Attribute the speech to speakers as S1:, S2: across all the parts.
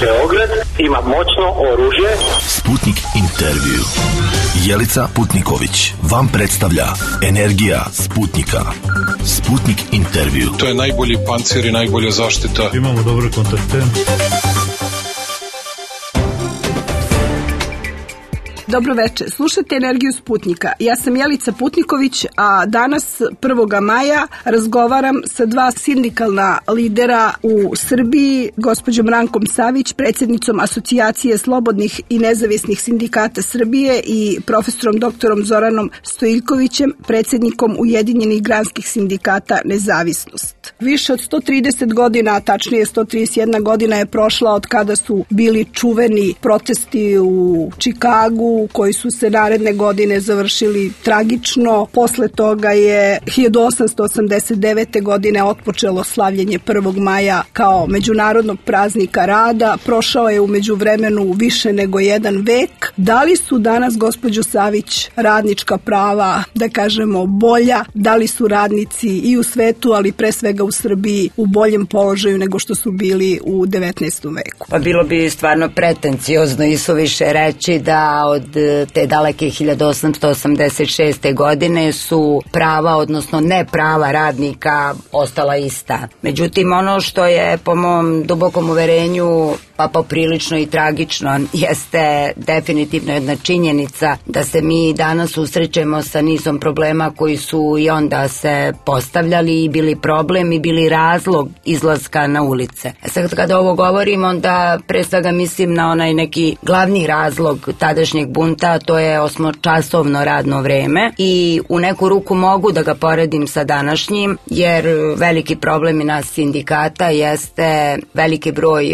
S1: Beograd ima moćno oružje.
S2: Sputnik intervju. Jelica Putniković vam predstavlja Energija Sputnika. Sputnik intervju.
S3: To je najbolji pancir i najbolja zaštita.
S4: Imamo dobre kontakte.
S5: Dobro večer, slušate Energiju Sputnika. Ja sam Jelica Putniković, a danas 1. maja razgovaram sa dva sindikalna lidera u Srbiji, gospođom Rankom Savić, predsjednicom Asocijacije slobodnih i nezavisnih sindikata Srbije i profesorom doktorom Zoranom Stojiljkovićem, predsjednikom Ujedinjenih granskih sindikata Nezavisnost. Više od 130 godina, tačnije 131 godina je prošla od kada su bili čuveni protesti u Čikagu, koji su se naredne godine završili tragično. Posle toga je 1889. godine otpočelo slavljenje 1. maja kao međunarodnog praznika rada. Prošao je u međuvremenu više nego jedan vek. Da li su danas, gospođo Savić, radnička prava, da kažemo, bolja? Da li su radnici i u svetu, ali pre svega u Srbiji, u boljem položaju nego što su bili u 19. veku?
S6: Pa bilo bi stvarno pretenciozno i suviše reći da od te daleke 1886. godine su prava, odnosno ne prava radnika ostala ista. Međutim, ono što je po mom dubokom uverenju pa poprilično i tragično jeste definitivno jedna činjenica da se mi danas susrećemo sa nizom problema koji su i onda se postavljali i bili problem i bili razlog izlaska na ulice. Sad kada ovo govorim, onda pre svega mislim na onaj neki glavni razlog tadašnjeg bunta, to je 8-časovno radno vreme i u neku ruku mogu da ga poredim sa današnjim, jer veliki problem i nas sindikata jeste veliki broj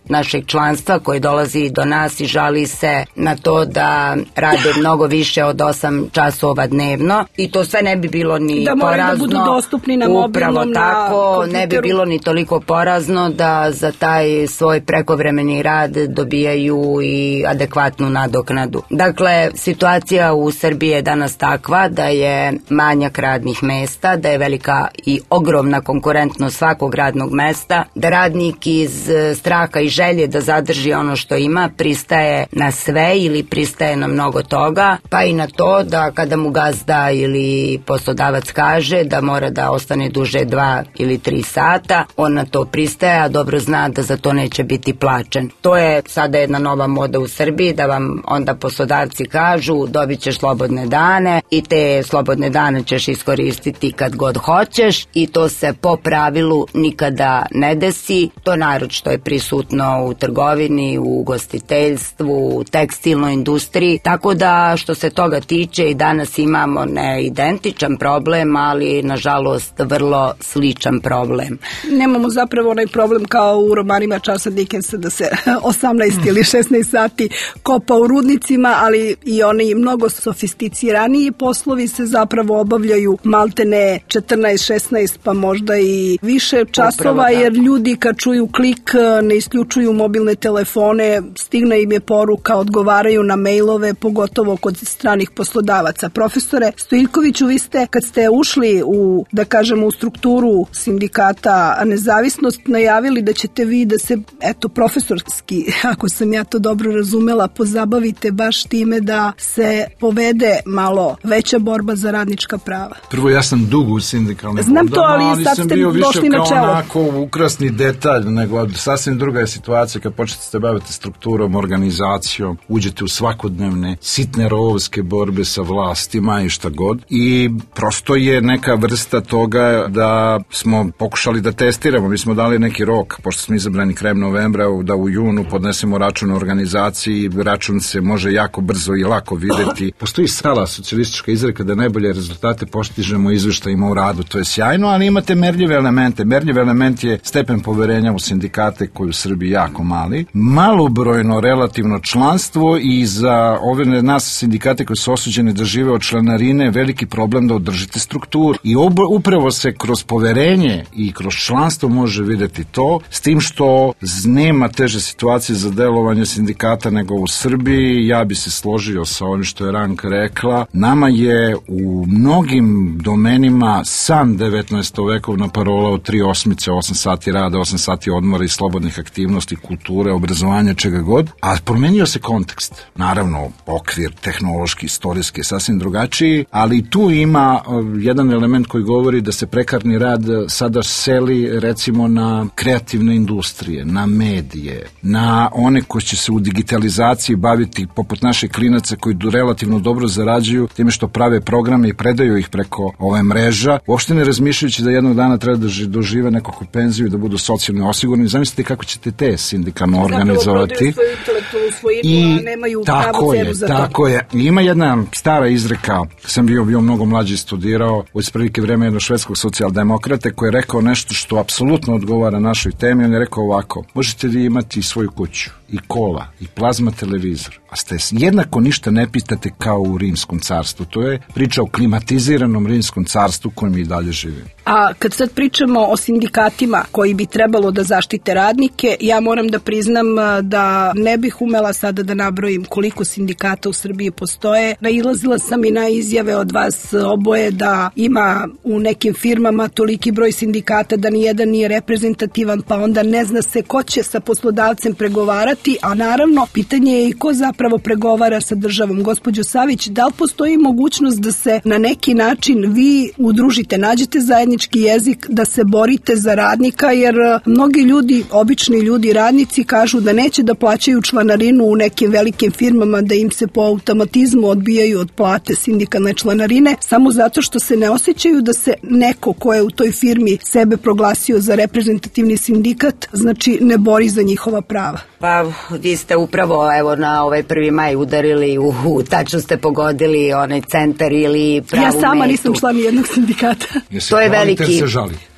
S6: našeg članstva koji dolazi do nas i žali se na to da rade mnogo više od 8 časova dnevno i to sve ne bi bilo ni
S5: da
S6: porazno.
S5: Da budu dostupni na mobilnom,
S6: upravo tako,
S5: kompjuteru.
S6: Ne bi bilo ni toliko porazno da za taj svoj prekovremeni rad dobijaju i adekvatnu nadoknadu. Dakle, situacija u Srbiji je danas takva da je manjak radnih mesta, da je velika i ogromna konkurentnost svakog radnog mesta, da radnik iz straha i želje da zadrži ono što ima pristaje na sve ili pristaje na mnogo toga, pa i na to da kada mu gazda ili poslodavac kaže da mora da ostane duže 2 ili 3 sata, on na to pristaje, a dobro zna da za to neće biti plaćen. To je sada jedna nova moda u Srbiji, da vam onda poslodavci kažu dobit ćeš slobodne dane i te slobodne dane ćeš iskoristiti kad god hoćeš i to se po pravilu nikada ne desi. To naročito je prisutno u trgovini, u ugostiteljstvu, u tekstilnoj industriji, tako da što se toga tiče i danas imamo ne identičan problem, ali nažalost vrlo sličan problem.
S5: Nemamo zapravo onaj problem kao u romanima Charlesa Dickensa da se 18 ili 16 sati kopa u rudnicima, ali i oni mnogo sofisticiraniji poslovi se zapravo obavljaju maltene 14, 16 pa možda i više časova, jer ljudi kad čuju klik ne isključuju mobilne telefone, stigne im je poruka, odgovaraju na mailove, pogotovo kod stranih poslodavaca. Profesore Stojiljkoviću, vi ste kad ste ušli u, da kažemo, u strukturu sindikata Nezavisnost, najavili da ćete vi da se, eto, profesorski, ako sam ja to dobro razumela, pozabavite baš time da se povede malo veća borba za radnička prava.
S4: Prvo, ja sam dugo u sindikalnim
S5: znam to, ali sad ste došli na čelo.
S4: Kao onako ukrasni detalj, nego sasvim druga je situacija kad počnete se baviti strukturom, organizacijom, uđete u svakodnevne sitne rovovske borbe sa vlastima i šta god. I prosto je neka vrsta toga da smo pokušali da testiramo. Mi smo dali neki rok, pošto smo izabrani krajem novembra, da u junu podnesemo račun organizaciji. Račun se može jako brzo i lako videti. Postoji stara socijalistička izreka da najbolje rezultate postižemo izveštajima u radu. To je sjajno, ali imate merljive elemente. Merljiv element je stepen poverenja u sindikate koji u Srbiji jako mali. Malobrojno relativno članstvo i za ove nas sindikate koji su osuđeni da žive od članarine veliki problem da održite strukturu. I upravo se kroz poverenje i kroz članstvo može videti to, s tim što nema teže situacije za delovanje sindikata nego u Srbiji. Ja bi se složio sa onim što je Ranka rekla. Nama je u mnogim domenima san 19. vekovna parola od 3 osmice, 8 sati rada, 8 sati odmora i slobodnih aktivnosti kulture, obrazovanja, čega god, a promenio se kontekst. Naravno, okvir tehnološki, istorijski je sasvim drugačiji, ali tu ima jedan element koji govori da se prekarni rad sada seli recimo na kreativne industrije, na medije, na one koji će se u digitalizaciji baviti poput naših klinaca koji relativno dobro zarađuju time što prave programe i predaju ih preko ove mreža, uopšte ne razmišljajući da jednog dana treba da dožive nekakvu penziju i da budu socijalno osigurani. Zamislite kako ćete te sindikalno organizovati.
S5: I nemaju pravu cenu za to.
S4: Tako je. Ima jedna stara izreka, sam bio mnogo mlađi studirao, u isprilike vreme jednog švedskog socijaldemokrate koji je rekao nešto što apsolutno odgovara našoj temi. On je rekao ovako: možete vi imati svoju kuću i kola i plazma televizor, a ste jednako ništa ne pitate kao u Rimskom carstvu. To je priča o klimatiziranom Rimskom carstvu kojem mi i dalje živimo.
S5: A kad sad pričamo o sindikatima koji bi trebalo da zaštite radnike, ja moram da priznam da ne bih umela sada da nabrojim koliko sindikata u Srbiji postoje. Nailazila sam i na izjave od vas oboje da ima u nekim firmama toliki broj sindikata da nijedan nije reprezentativan, pa onda ne zna se ko će sa poslodavcem pregovarati, a naravno pitanje je i ko zapravo pregovara sa državom. Gospođo Savić, da li postoji mogućnost da se na neki način vi udružite, nađete zajednički jezik, da se borite za radnika, jer mnogi ljudi, obični ljudi, radnici kažu da neće da plaćaju članarinu u nekim velikim firmama, da im se po automatizmu odbijaju od plate sindikalne članarine, samo zato što se ne osjećaju da se neko ko je u toj firmi sebe proglasio za reprezentativni sindikat, znači ne bori za njihova prava.
S6: Pa vi ste upravo na ovaj 1. maj udarili tačno ste pogodili onaj centar ili pravu metu.
S5: Ja sama nisam član jednog sindikata.
S6: To je veliki...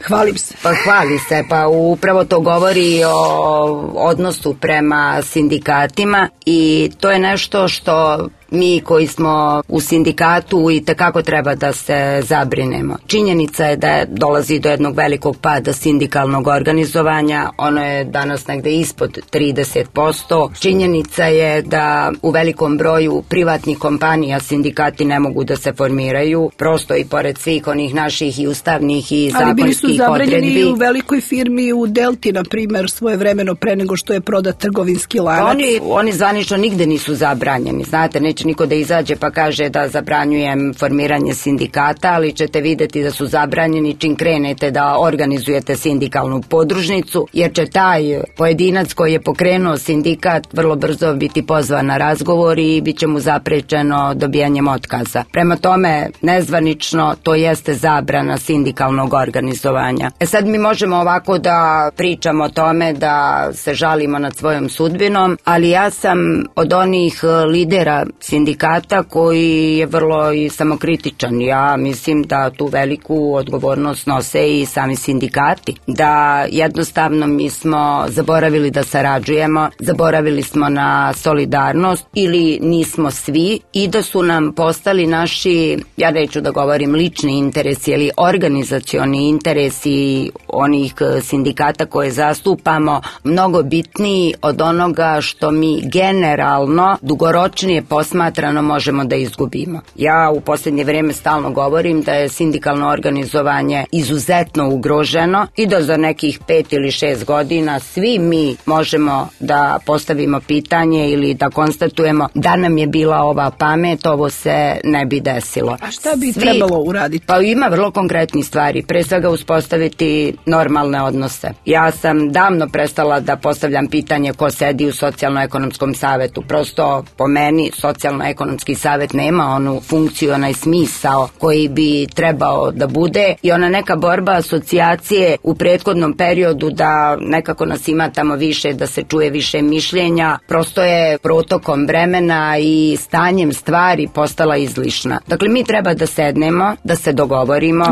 S5: Hvalim se.
S6: Pa hvali se, pa upravo to govori o odnosu prema sindikatima i to je nešto što mi koji smo u sindikatu i tekako treba da se zabrinemo. Činjenica je da dolazi do jednog velikog pada sindikalnog organizovanja, ono je danas negde ispod 30%. Činjenica je da u velikom broju privatnih kompanija sindikati ne mogu da se formiraju, prosto i pored svih onih naših i ustavnih i zakonskih odredbi.
S5: Ali bili su zabranjeni u velikoj firmi u Delti, na primer, svojevremeno pre nego što je prodat trgovinski lanac.
S6: Oni zvanično nigde nisu zabranjeni, znate, neće niko da izađe pa kaže da zabranjujem formiranje sindikata, ali ćete videti da su zabranjeni čim krenete da organizujete sindikalnu podružnicu, jer će taj pojedinac koji je pokrenuo sindikat vrlo brzo biti pozvan na razgovor i bit će mu zaprečeno dobijanjem otkaza. Prema tome, nezvanično to jeste zabrana sindikalnog organizovanja. Sad mi možemo ovako da pričamo o tome, da se žalimo nad svojom sudbinom, ali ja sam od onih lidera sindikata koji je vrlo i samokritičan. Ja mislim da tu veliku odgovornost nose i sami sindikati. Da jednostavno mi smo zaboravili da sarađujemo, zaboravili smo na solidarnost ili nismo svi i da su nam postali naši, ja neću da govorim lični interesi ili organizacioni interesi onih sindikata koje zastupamo mnogo bitniji od onoga što mi generalno dugoročnije posmatrano možemo da izgubimo. Ja u posljednje vrijeme stalno govorim da je sindikalno organizovanje izuzetno ugroženo i da za nekih 5 ili 6 godina svi mi možemo da postavimo pitanje ili da konstatujemo da nam je bila ova pamet, ovo se ne bi desilo.
S5: A šta bi trebalo uraditi?
S6: Pa ima vrlo konkretnih stvari. Pre svega uspostaviti normalne odnose. Ja sam davno prestala da postavljam pitanje ko sedi u socijalno-ekonomskom savetu. Prosto po meni socijalno-ekonomski savet nema onu funkciju, onaj smisao koji bi trebao da bude i ona neka borba asocijacije u prethodnom periodu da nekako nas ima tamo više, da se čuje više mišljenja, prosto je protokom vremena i stanjem stvari postala izlišna. Dakle, mi treba da sednemo, da se dogovorimo.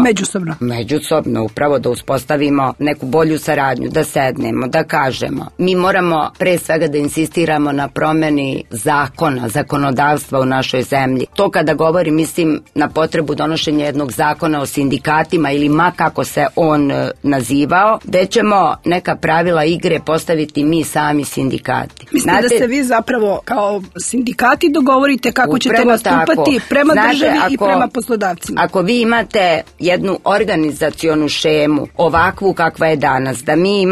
S6: Međusobno, upravo da uspostavimo neku bolju saradnju, da sednemo, da kažemo. Mi moramo pre svega da insistiramo na promeni zakona, zakonodavstva u našoj zemlji. To kada govorim, mislim na potrebu donošenja jednog zakona o sindikatima ili ma kako se on nazivao, gde ćemo neka pravila igre postaviti mi sami sindikati.
S5: Mislim da se vi zapravo kao sindikati dogovorite kako ćete nastupati prema državi i prema poslodavcima.
S6: Ako vi imate jednu organizacionu šemu, takvu kakva je danas, da mi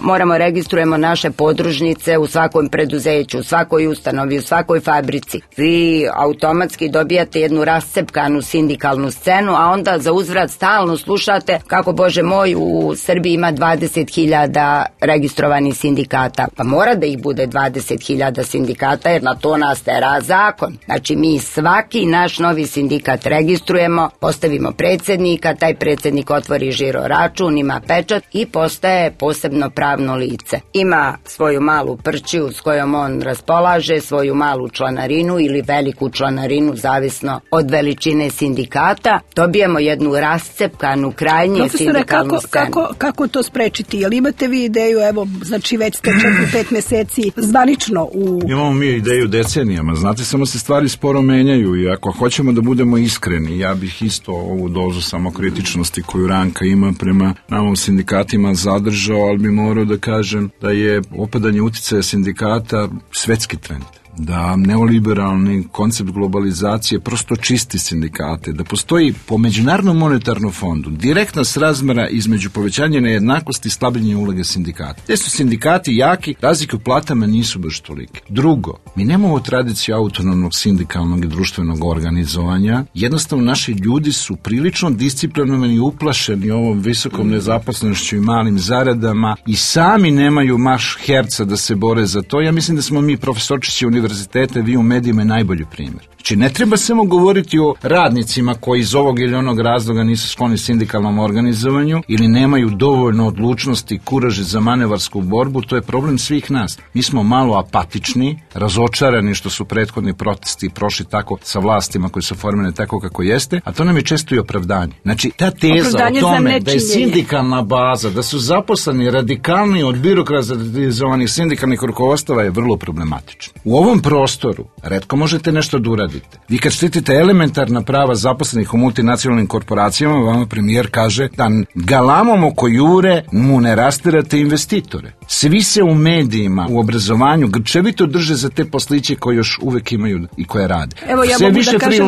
S6: moramo registrujemo naše podružnice u svakom preduzeću, u svakoj ustanovi, u svakoj fabrici. Vi automatski dobijate jednu rascepkanu sindikalnu scenu, a onda za uzvrat stalno slušate kako, Bože moj, u Srbiji ima 20.000 registrovanih sindikata. Pa mora da ih bude 20.000 sindikata, jer na to nas tera zakon. Znači, mi svaki naš novi sindikat registrujemo, postavimo predsjednika, taj predsjednik otvori žiro račun, ima pečat i postaje posebno pravno lice. Ima svoju malu prćiju s kojom on raspolaže, svoju malu članarinu ili veliku članarinu, zavisno od veličine sindikata. Dobijemo jednu rascepkanu, krajnje sindikalnu scenu.
S5: Kako to sprečiti? Jel imate vi ideju, evo, znači već ste 4-5 meseci zvanično u...
S4: Imamo mi ideju decenijama, znate, samo se stvari sporo menjaju i ako hoćemo da budemo iskreni, ja bih isto ovu dozu samokritičnosti koju Ranka ima prema nama sindikatima zadržao, ali bi morao da kažem da je opadanje uticaja sindikata svetski trend. Da neoliberalni koncept globalizacije prosto čisti sindikate, da postoji po Međunarodnom monetarnom fondu direktna srazmera između povećanja nejednakosti i slabljenja uloge sindikata. Gde su sindikati jaki, razlike u platama nisu baš tolike. Drugo, mi nemamo tradiciju autonomnog sindikalnog i društvenog organizovanja. Jednostavno, naši ljudi su prilično disciplinovani i uplašeni ovom visokom nezaposlenošću i malim zaradama i sami nemaju marš herca da se bore za to. Ja mislim da smo mi profesorčići univerzitete, vi u medijima najbolji primjer. Znači, ne treba samo govoriti o radnicima koji iz ovog ili onog razloga nisu skloni sindikalnom organizovanju ili nemaju dovoljno odlučnosti i kuraže za manevarsku borbu, to je problem svih nas. Mi smo malo apatični, razočarani što su prethodni protesti prošli tako sa vlastima koji su formirane tako kako jeste, a to nam je često i opravdanje. Znači, ta teza o tome da je sindikalna baza, da su zaposleni radikalni od birokratizovanih sindikalnih rukovodstava je vrlo problematična. U ovom prostoru retko možete nešto da uradite. Vi kad štitite elementarna prava zaposlenih u multinacionalnim korporacijama, vama premijer kaže da galamom oko jure mu ne rastirate investitore. Svi se u medijima, u obrazovanju grčevito drže za te posliće koje još uvek imaju i koje rade.
S5: Evo, ja mogu da kažem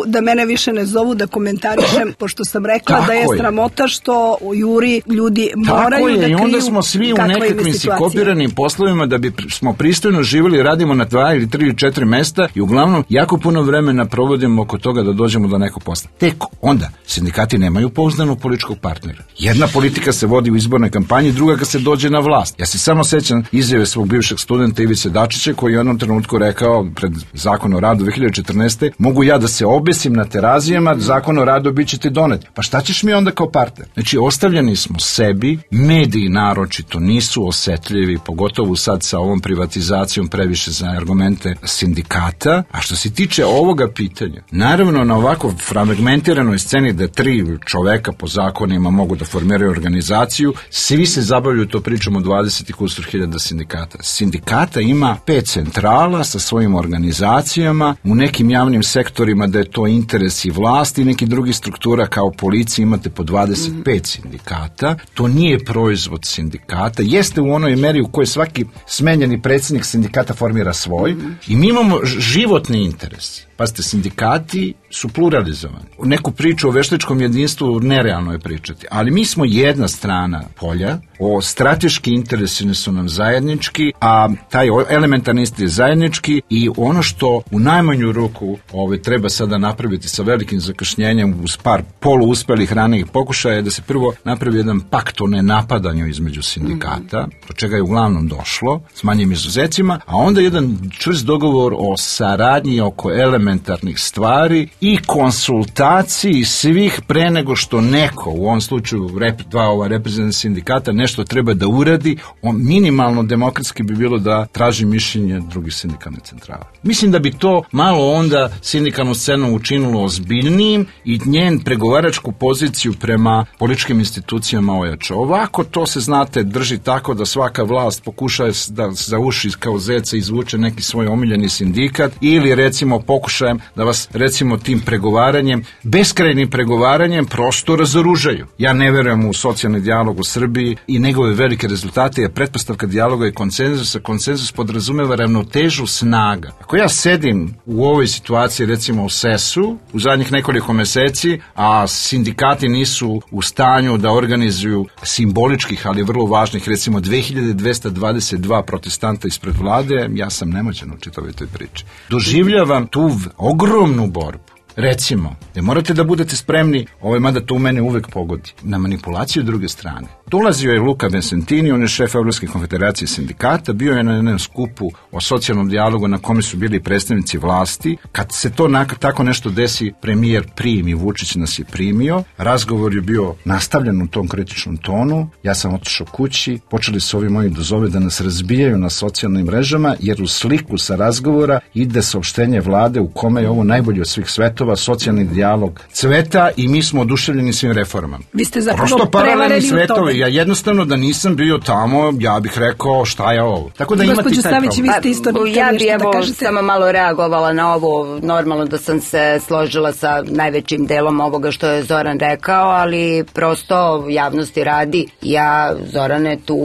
S5: da mene više ne zovu da komentarišem, pošto sam rekla tako da je sramota što u juri ljudi moraju da kriju.
S4: I onda smo svi u nekakvim sikopiranim poslovima da bi smo pristojno živjeli, radimo na 2 ili 3 ili 4 mesta i uglavnom jako puno vremena provodimo oko toga da dođemo do nekog posla. Tek onda sindikati nemaju pouzdanog političkog partnera. Jedna politika se vodi u izbornoj kampanji, druga kad se dođe na vlast. Ja se samo sećam izjave svog bivšeg studenta Ivice Dačića koji je u jednom trenutku rekao pred Zakon o radu 2014. mogu ja da se obesim na Terazijama, Zakon o radu bit će ti donet. Pa šta ćeš mi onda kao partner? Znači, ostavljeni smo sebi, mediji naročito nisu osetljivi, pogotovo sad sa ovom privatizacijom previše za argumente sindikata. A što se tiče ovoga pitanja, naravno na ovako fragmentiranoj sceni da 3 čoveka po zakonima mogu da formiraju organizaciju, svi se zabavljaju, to pričamo o 20.000 sindikata. Sindikata ima 5 centrala sa svojim organizacijama, u nekim javnim sektorima da je to interes i vlasti, neki drugi struktura kao policiji imate po 25 sindikata. To nije proizvod sindikata, jeste u onoj meri u kojoj svaki smenjeni predsjednik sindikata formira svoj i mi imamo životni interes. Pazite, sindikati su pluralizovani. Neku priču o veštačkom jedinstvu nerealno je pričati, ali mi smo jedna strana polja, o strateški interesi su nam zajednički, a taj elementarni interes je zajednički i ono što u najmanju ruku treba sada napraviti sa velikim zakašnjenjem uz par poluuspelih ranijih pokušaja je da se prvo napravi jedan pakt o nenapadanju između sindikata, do čega je uglavnom došlo, s manjim izuzecima, a onda jedan čvrst dogovor o saradnji oko elementarnih stvari i konsultaciji svih pre nego što neko, u ovom slučaju dva reprezentativna sindikata, nešto treba da uradi, minimalno demokratski bi bilo da traži mišljenje drugih sindikalnih centrala. Mislim da bi to malo onda sindikalnu scenu učinilo ozbiljnijim i njen pregovaračku poziciju prema političkim institucijama ojača. Ovako to se, znate, drži tako da svaka vlast pokuša da za uši kao zeca izvuče neki svoj omiljeni sindikat ili recimo pokuša pokušajem da vas recimo tim pregovaranjem, beskrajnim pregovaranjem prosto razoružaju. Ja ne verujem u socijalni dijalog u Srbiji i njegove velike rezultate, jer pretpostavka dijaloga je konsenzus, a konsenzus podrazumeva ravnotežu snaga. Ako ja sedim u ovoj situaciji recimo u SES-u u zadnjih nekoliko meseci, a sindikati nisu u stanju da organizuju simboličkih, ali vrlo važnih, recimo 2222 protestanta ispred vlade, ja sam nemoćan u čitavoj toj priči. Doživljavam tu ogromnu borbu. Recimo, da morate da budete spremni, mada to u mene uvek pogodi, na manipulaciju druge strane. Dolazio je Luka Vincentini, on je šef Evropske konfederacije sindikata, bio je na jednom skupu o socijalnom dijalogu na kome su bili predstavnici vlasti. Kad se to tako nešto desi, premijer primi, Vučić nas je primio, razgovor je bio nastavljen u tom kritičnom tonu, ja sam otišao kući, počeli su ovi moji dozove da nas razbijaju na socijalnim mrežama, jer u sliku sa razgovora ide saopštenje vlade u kome je ovo najbolje od svih svetova, socijalni dijalog cveta i mi smo oduševljeni svim reformama.
S5: Vi ste zapravo prevareni u tome.
S4: Ja jednostavno da nisam bio tamo, ja bih rekao šta je ovo. Tako da imate taj
S5: Savić, vi ste isto
S6: ja bih samo malo reagovala na ovo. Normalno da sam se složila sa najvećim delom ovoga što je Zoran rekao, ali prosto javnosti radi. Ja, Zorane, tu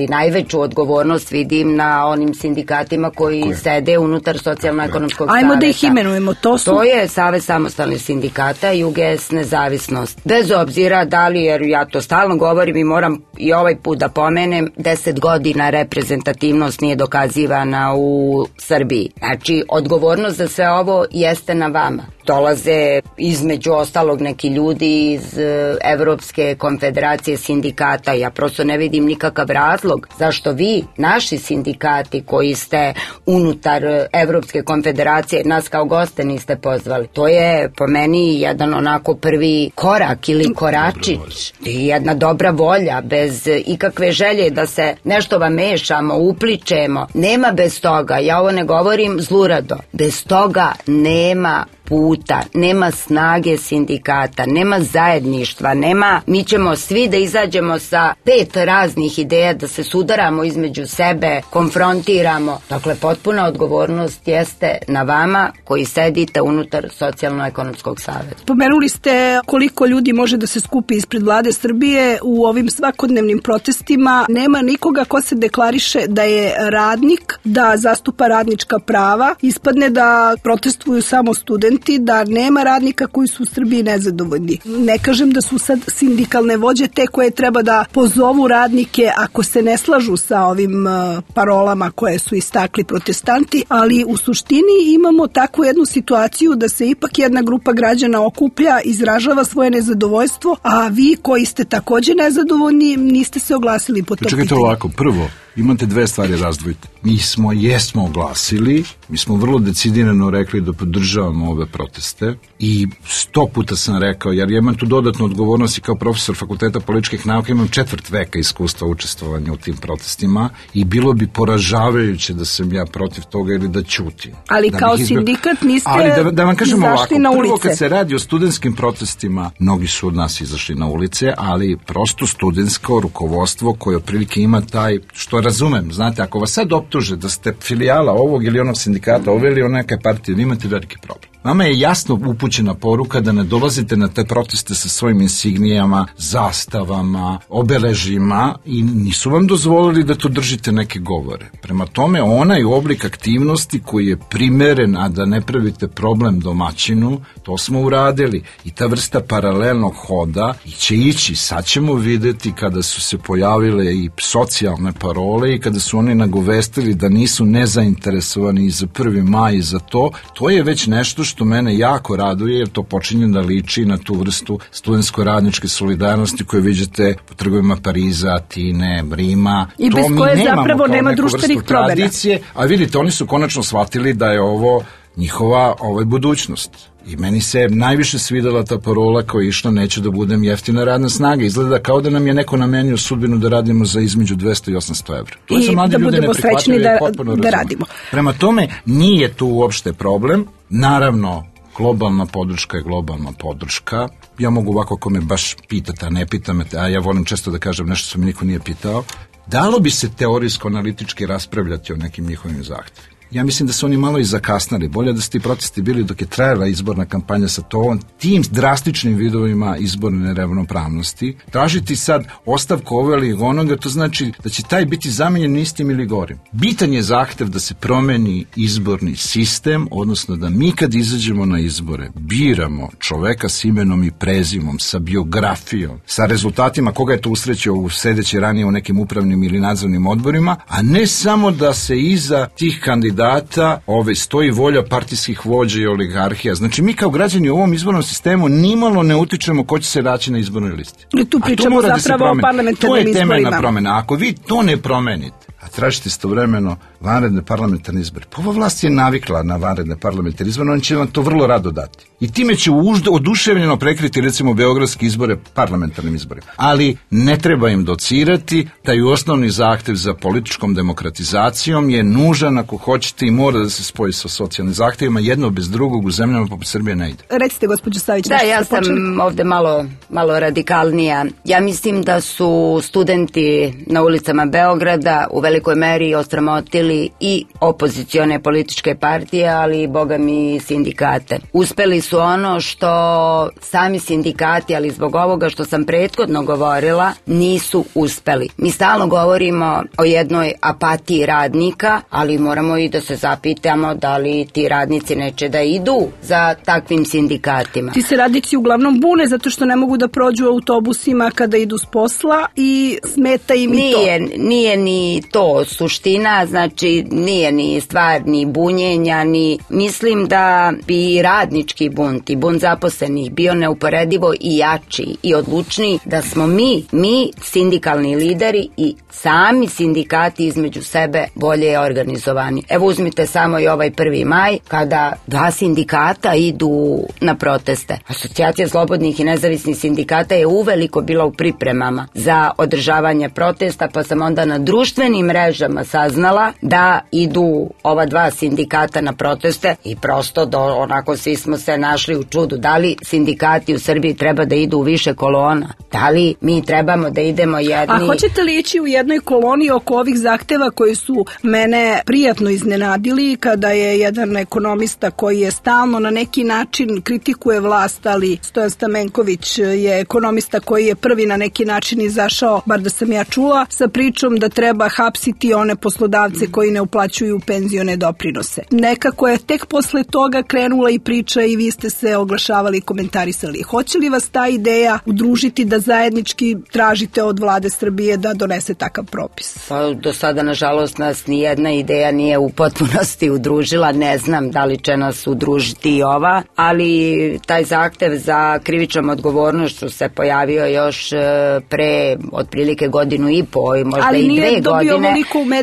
S6: najveću odgovornost vidim na onim sindikatima koji sede unutar socijalno-ekonomskog saveta.
S5: Ajmo da ih imenujemo.
S6: To je Savez samostalnih sindikata i UGS Nezavisnost. Bez obzira da li, jer ja to stalno govorim i moram i ovaj put da pomenem, 10 godina reprezentativnost nije dokazivana u Srbiji. Znači, odgovornost za sve ovo jeste na vama. Dolaze između ostalog neki ljudi iz Evropske konfederacije sindikata. Ja prosto ne vidim nikakav razlog zašto vi, naši sindikati koji ste unutar Evropske konfederacije, nas kao goste niste pozvali. To je po meni jedan onako prvi korak ili koračić. Jedna dobra volja, bez ikakve želje da se nešto vam mešamo, upličemo. Nema bez toga, ja ovo ne govorim zlurado, bez toga nema puta, nema snage sindikata, nema zajedništva, nema, mi ćemo svi da izađemo sa 5 raznih ideja, da se sudaramo između sebe, konfrontiramo. Dakle, potpuna odgovornost jeste na vama koji sedite unutar Socijalno-ekonomskog saveta.
S5: Pomenuli ste koliko ljudi može da se skupi ispred vlade Srbije u ovim svakodnevnim protestima. Nema nikoga ko se deklariše da je radnik, da zastupa radnička prava. Ispadne da protestuju samo studenti, da nema radnika koji su u Srbiji nezadovoljni. Ne kažem da su sad sindikalne vođe te koje treba da pozovu radnike ako se ne slažu sa ovim parolama koje su istakli protestanti, ali u suštini imamo takvu jednu situaciju da se ipak jedna grupa građana okuplja, izražava svoje nezadovoljstvo, a vi koji ste takođe nezadovoljni niste se oglasili po tom pitanju.
S4: Čekajte ovako, prvo, imate 2 stvari razdvojite. Mi jesmo oglasili, mi smo vrlo decidirano rekli da podržavamo ove proteste i 100 puta sam rekao, jer ja imam tu dodatnu odgovornost i kao profesor Fakulteta političkih nauka, imam 4 veka iskustva učestvovanja u tim protestima i bilo bi poražavajuće da sam ja protiv toga ili da ćutim.
S5: Ali da kao sindikat niste
S4: da vam kažem
S5: izašli
S4: ovako,
S5: na ulice.
S4: Prvo kad se radi o studentskim protestima, mnogi su od nas izašli na ulice, ali prosto studentsko rukovodstvo koje otprilike ima taj, što razumem, znate, ako vas sad optuže da ste filijala ovog ili onog sindikata, ove ili neke partije, imate veliki problem. Vama je jasno upućena poruka da ne dolazite na te proteste sa svojim insignijama, zastavama, obeležima i nisu vam dozvolili da tu držite neke govore. Prema tome, onaj oblik aktivnosti koji je primeren, a da ne pravite problem domaćinu, to smo uradili. I ta vrsta paralelnog hoda će ići. Sad ćemo videti kada su se pojavile i socijalne parole i kada su oni nagovestili da nisu nezainteresovani i za 1. maj i za to. To je već nešto što mene jako raduje, jer to počinje da liči na tu vrstu studentsko-radničke solidarnosti koje viđate po trgovima Pariza, Atine, Rima.
S5: I bez koje zapravo nema društvenih promena.
S4: A vidite, oni su konačno shvatili da je ovo njihova budućnost. I meni se najviše svidela ta parola koja je išla neću da budem jeftina radna snaga. Izgleda kao da nam je neko namenio sudbinu da radimo za između 200 i 800 evra. To
S5: I da budemo srećni da radimo.
S4: Prema tome, nije tu uopšte problem. Naravno, globalna podrška je globalna podrška. Ja mogu ovako, ako me baš pitate, a ne pita me, a ja volim često da kažem nešto što me niko nije pitao, dalo bi se teorijsko-analitički raspravljati o nekim njihovim zahtjevima. Ja mislim da su oni malo i zakasnali. Bolje da su ti protesti bili dok je trajala izborna kampanja sa tim drastičnim vidovima izborne neravnopravnosti. Tražiti sad ostavku ove ili onoga, to znači da će taj biti zamenjen istim ili gorim. Bitan je zahtev da se promeni izborni sistem, odnosno da mi kad izađemo na izbore biramo čoveka s imenom i prezimom, sa biografijom, sa rezultatima koga je to usrećio sedeći ranije u nekim upravnim ili nadzornim odborima, a ne samo da se iza tih kandidata stoji volja partijskih vođa i oligarhija. Znači mi kao građani u ovom izbornom sistemu nimalo ne utičemo ko će se naći na izbornoj listi.
S5: I tu pričamo zapravo o parlamentarnim izborima.
S4: To je temeljna promena. Ako vi to ne promenite, a tražite istovremeno vanredne parlamentarne izbore. Pa ova vlast je navikla na vanredne parlamentarne izbore, on će vam to vrlo rado dati. I time će oduševljeno prekriti recimo beogradske izbore parlamentarnim izborima. Ali ne treba im docirati, taj osnovni zahtev za političkom demokratizacijom je nužan ako hoćete i mora da se spoji sa socijalnim zahtevima, jedno bez drugog u zemljama poput Srbije ne ide.
S5: Recite, gospođo Savić.
S6: Da, ja sam ovde malo radikalnija. Ja mislim da su studenti na ulicama Beograda u velikoj meri osramotili i opozicione političke partije, ali i boga mi sindikate. Uspeli su ono što sami sindikati, ali zbog ovoga što sam prethodno govorila, nisu uspeli. Mi stalno govorimo o jednoj apatiji radnika, ali moramo i da se zapitamo da li ti radnici neće da idu za takvim sindikatima.
S5: Ti se radnici uglavnom bune zato što ne mogu da prođu autobusima kada idu s posla i smeta im i to.
S6: Nije ni to suština, znači nije ni stvar ni bunjenja, ni mislim da bi radnički bunt i bunt zaposlenih bio neuporedivo i jači i odlučniji da smo mi sindikalni lideri i sami sindikati između sebe bolje organizovani. Evo uzmite samo i ovaj 1. maj kada 2 sindikata idu na proteste. Asocijacija slobodnih i nezavisnih sindikata je uveliko bila u pripremama za održavanje protesta, pa sam onda na društvenim mrežama saznala da idu ova 2 sindikata na proteste i prosto onako svi smo se našli u čudu. Da li sindikati u Srbiji treba da idu u više kolona? Da li mi trebamo da idemo jedni?
S5: A hoćete li ići u jednoj koloni oko ovih zahteva koji su mene prijatno iznenadili kada je jedan ekonomista koji je stalno na neki način kritikuje vlast, ali Stojan Stamenković je ekonomista koji je prvi na neki način izašao, bar da sam ja čula, sa pričom da treba hapsiti one poslodavce koji ne uplaćuju penzione doprinose. Nekako je tek posle toga krenula i priča i vi ste se oglašavali i komentarisali. Hoće li vas ta ideja udružiti da zajednički tražite od vlade Srbije da donese takav propis?
S6: Pa do sada, nažalost, nas nijedna ideja nije u potpunosti udružila. Ne znam da li će nas udružiti i ova, ali taj zahtev za krivičnom odgovornošću se pojavio još pre otprilike 1,5 godinu, možda
S5: ali
S6: i 2 godine.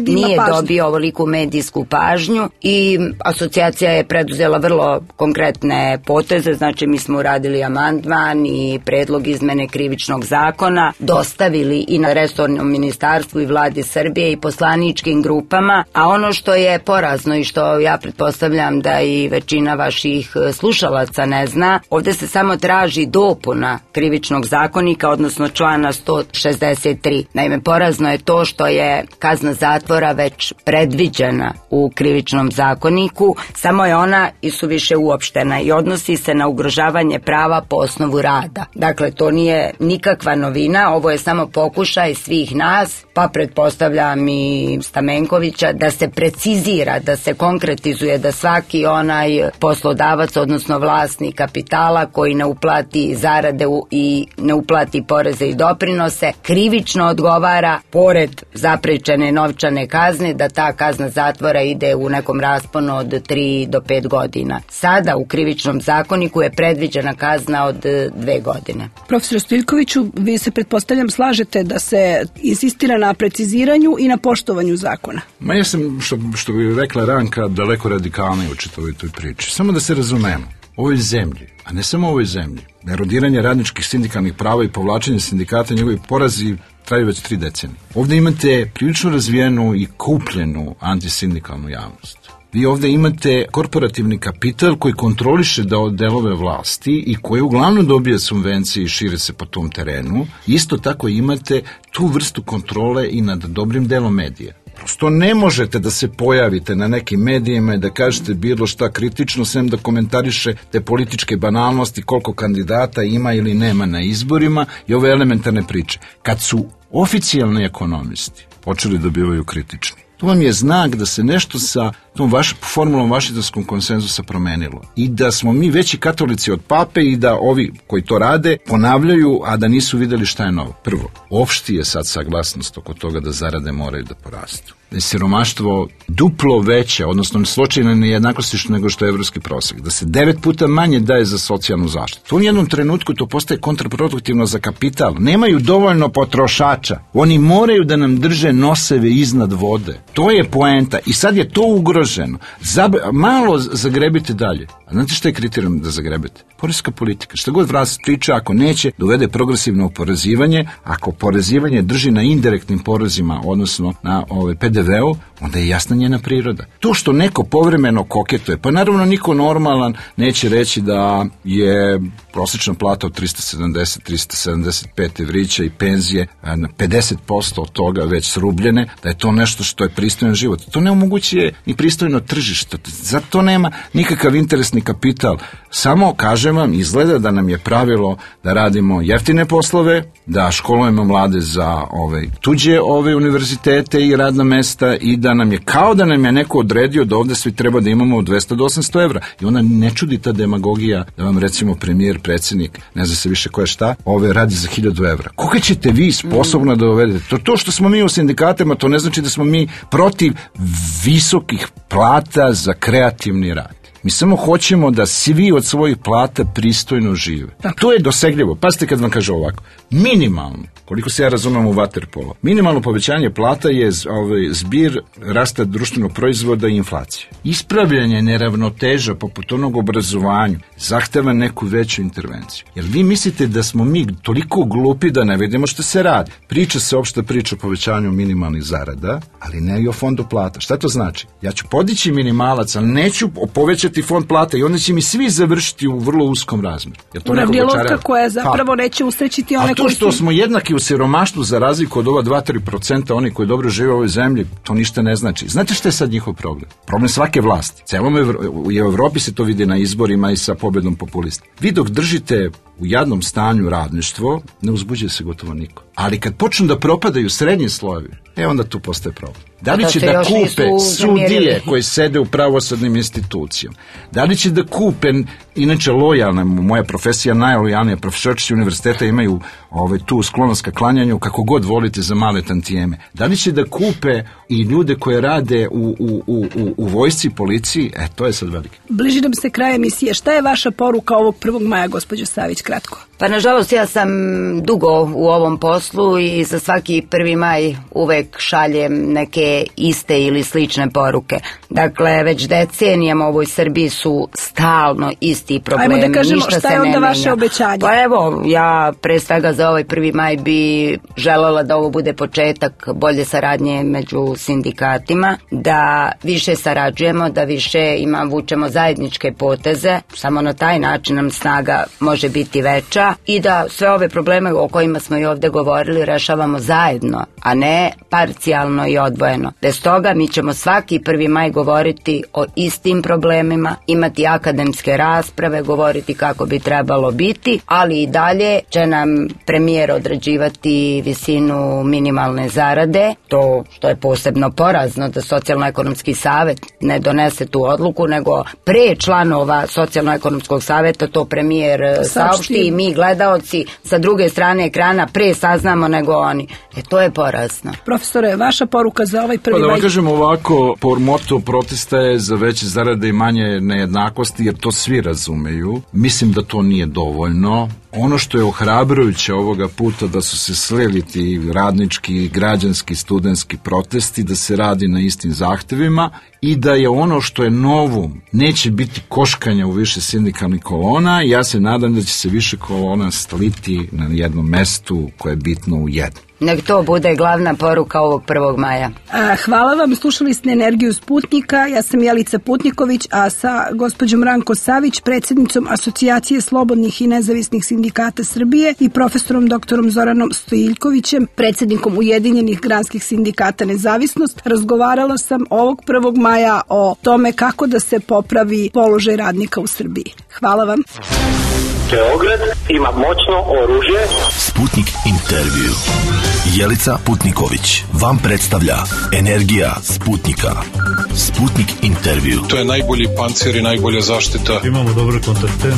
S5: Nije
S6: dobio ovoliku medijsku pažnju i asocijacija je preduzela vrlo konkretne poteze, znači mi smo uradili amandman i predlog izmene krivičnog zakona, dostavili i na resornom ministarstvu i vladi Srbije i poslaničkim grupama, a ono što je porazno i što ja pretpostavljam da i većina vaših slušalaca ne zna, ovde se samo traži dopuna krivičnog zakonika, odnosno člana 163. Naime, porazno je to što je kazna zatvora već predviđena u krivičnom zakoniku, samo je ona isuviše uopštena i odnosi se na ugrožavanje prava po osnovu rada. Dakle, to nije nikakva novina, ovo je samo pokušaj svih nas, pa pretpostavljam i Stamenkovića, da se precizira, da se konkretizuje, da svaki onaj poslodavac, odnosno vlasnik kapitala koji ne uplati zarade i ne uplati poreze i doprinose, krivično odgovara pored zaprećene novčane kazne, da ta kazna zatvora ide u nekom rasponu od 3 do 5 godina. Sada u krivičnom zakoniku je predviđena kazna od 2 godine.
S5: Profesor Stojiljkoviću, vi se pretpostavljam slažete da se insistira na preciziranju i na poštovanju zakona.
S4: Ma ja sam, što bi rekla Ranka, daleko radikalniji u čitavoj toj priči. Samo da se razumemo, ovoj zemlji, a ne samo ovoj zemlji, erodiranje radničkih sindikalnih prava i povlačenje sindikata, njegovi porazi traju već 3 decenije. Ovdje imate prilično razvijenu i kupljenu antisindikalnu javnost. Vi ovdje imate korporativni kapital koji kontroliše delove vlasti i koji uglavnom dobija subvencije i šire se po tom terenu. Isto tako imate tu vrstu kontrole i nad dobrim delom medija. Prosto ne možete da se pojavite na nekim medijima i da kažete bilo šta kritično, sem da komentariše te političke banalnosti, koliko kandidata ima ili nema na izborima i ove elementarne priče. Kad su oficijalni ekonomisti počeli da bivaju kritični, to vam je znak da se nešto sa tom formulom Vašingtonskog konsenzusa promenilo i da smo mi veći katolici od pape i da ovi koji to rade ponavljaju, a da nisu videli šta je novo. Prvo, opšti je sad saglasnost oko toga da zarade moraju da porastu. Da je siromaštvo duplo veće, odnosno slučajne nejednakosti nego što je evropski prosek. Da se 9 puta manje daje za socijalnu zaštitu. U jednom trenutku to postaje kontraproduktivno za kapital. Nemaju dovoljno potrošača. Oni moraju da nam drže noseve iznad vode. To je poenta i sad je to ugroženo. Malo zagrebite dalje. A znate šta je kriterijum da zagrebete? Poreska politika. Šta god vlast priča, ako neće, dovede progresivno oporezivanje, ako oporezivanje drži na indirektnim porezima, odnosno na PDV-u, onda je jasna njena priroda. To što neko povremeno koketuje, pa naravno niko normalan neće reći da je prosječna plata od 370-375 evrića i penzije na 50% od toga već srubljene, da je to nešto što je pristojan život. To ne omogućuje ni pristojno tržište. Zato nema nikakav interesni kapital. Samo, kažem vam, izgleda da nam je pravilo da radimo jeftine poslove, da školujemo mlade za tuđe univerzitete i radna mesta i da nam je kao da nam je neko odredio da ovde svi treba da imamo 200 do 800 evra. I onda ne čudi ta demagogija da vam recimo premijer, predsjednik, ne zna se više ko je šta, radi za 1000 evra. Koga ćete vi sposobno da dovedete? To što smo mi u sindikatima, to ne znači da smo mi protiv visokih plata za kreativni rad. Mi samo hoćemo da svi od svojih plata pristojno žive. To je dosegljivo. Pazite kad vam kaže ovako. Minimalno, koliko se ja razumem u vaterpolo, minimalno povećanje plata je zbir rasta društvenog proizvoda i inflacije. Ispravljanje neravnoteža poput onog obrazovanju zahteva neku veću intervenciju. Jer vi mislite da smo mi toliko glupi da ne vidimo što se radi. Priča se opšta priča o povećanju minimalnih zarada, ali ne i o fondu plata. Šta to znači? Ja ću podići minimalac, ali neću povećati fond plata i onda će mi svi završiti u vrlo uskom razmeru.
S5: Uravnilovka koja zapravo neće usrećiti one koji su... A to
S4: što smo jednaki u siromaštvu za razliku od ova 2-3% oni koji dobro žive u ovoj zemlji, to ništa ne znači. Znate šta je sad njihov problem? Problem svake vlasti. U Evropi se to vidi na izborima i sa pobedom populista. Vi dok držite u jadnom stanju radništvo, ne uzbuđuje se gotovo niko. Ali kad počnu da propadaju srednji slojevi, onda tu postaje problem. Da li će da kupe sudije koji sede u pravosudnim institucijama? Da li će da kupe, inače lojalna, moja profesija najlojalnija, profesorici univerziteta imaju tu sklonost ka klanjanju kako god volite za male tantijeme. Da li će da kupe i ljude koje rade u vojsci, policiji? To je sad velike.
S5: Bliži nam se kraj emisije. Šta je vaša poruka ovog 1. maja, gospođo Savić, kratko?
S6: Pa nažalost ja sam dugo u ovom poslu i za svaki 1. maj uvek šaljem neke iste ili slične poruke. Dakle, već decenijama u ovoj Srbiji su stalno isti problemi.
S5: Ajmo da kažemo šta je onda vaše obećanje?
S6: Pa evo, ja pre svega za ovaj 1. maj bi želela da ovo bude početak bolje saradnje među sindikatima, da više sarađujemo, da više vučemo zajedničke poteze, samo na taj način nam snaga može biti veća i da sve ove probleme o kojima smo i ovde govorili rešavamo zajedno, a ne parcijalno i odvojeno. Bez toga mi ćemo svaki 1. maj govoriti o istim problemima, imati akademske rasprave, govoriti kako bi trebalo biti, ali i dalje će nam premijer određivati visinu minimalne zarade, to što je posebno porazno da Socijalno-ekonomski savet ne donese tu odluku, nego pre članova Socijalno-ekonomskog saveta to premijer saopšti i mi gledaoci sa druge strane ekrana pre saznamo nego oni. To je porazno.
S5: Profesore, vaša poruka za ovaj 1. maj?
S4: Pa da vam kažem ovako, moto protesta je za veće zarade i manje nejednakosti, jer to svi razumeju. Mislim da to nije dovoljno. Ono što je ohrabrujuće ovoga puta da su se slili ti radnički, građanski, studentski protesti, da se radi na istim zahtevima i da je ono što je novo, neće biti koškanja u više sindikalnih kolona. Ja se nadam da će se više kolona sliti na jednom mestu koje je bitno u jednom.
S6: Nek to bude glavna poruka ovog 1. maja.
S5: Hvala vam, slušali ste Energiju Sputnika, ja sam Jelica Putniković, a sa gospođom Ranko Savić, predsjednicom Asocijacije slobodnih i nezavisnih sindikata Srbije i profesorom doktorom Zoranom Stojiljkovićem, predsjednikom Ujedinjenih granskih sindikata Nezavisnost, razgovarala sam ovog 1. maja o tome kako da se popravi položaj radnika u Srbiji. Hvala vam.
S1: Beograd ima moćno oružje.
S2: Sputnik intervju. Jelica Putniković vam predstavlja Energija Sputnika. Sputnik intervju.
S3: To je najbolji pancir i najbolja zaštita.
S7: Imamo dobre kontakte.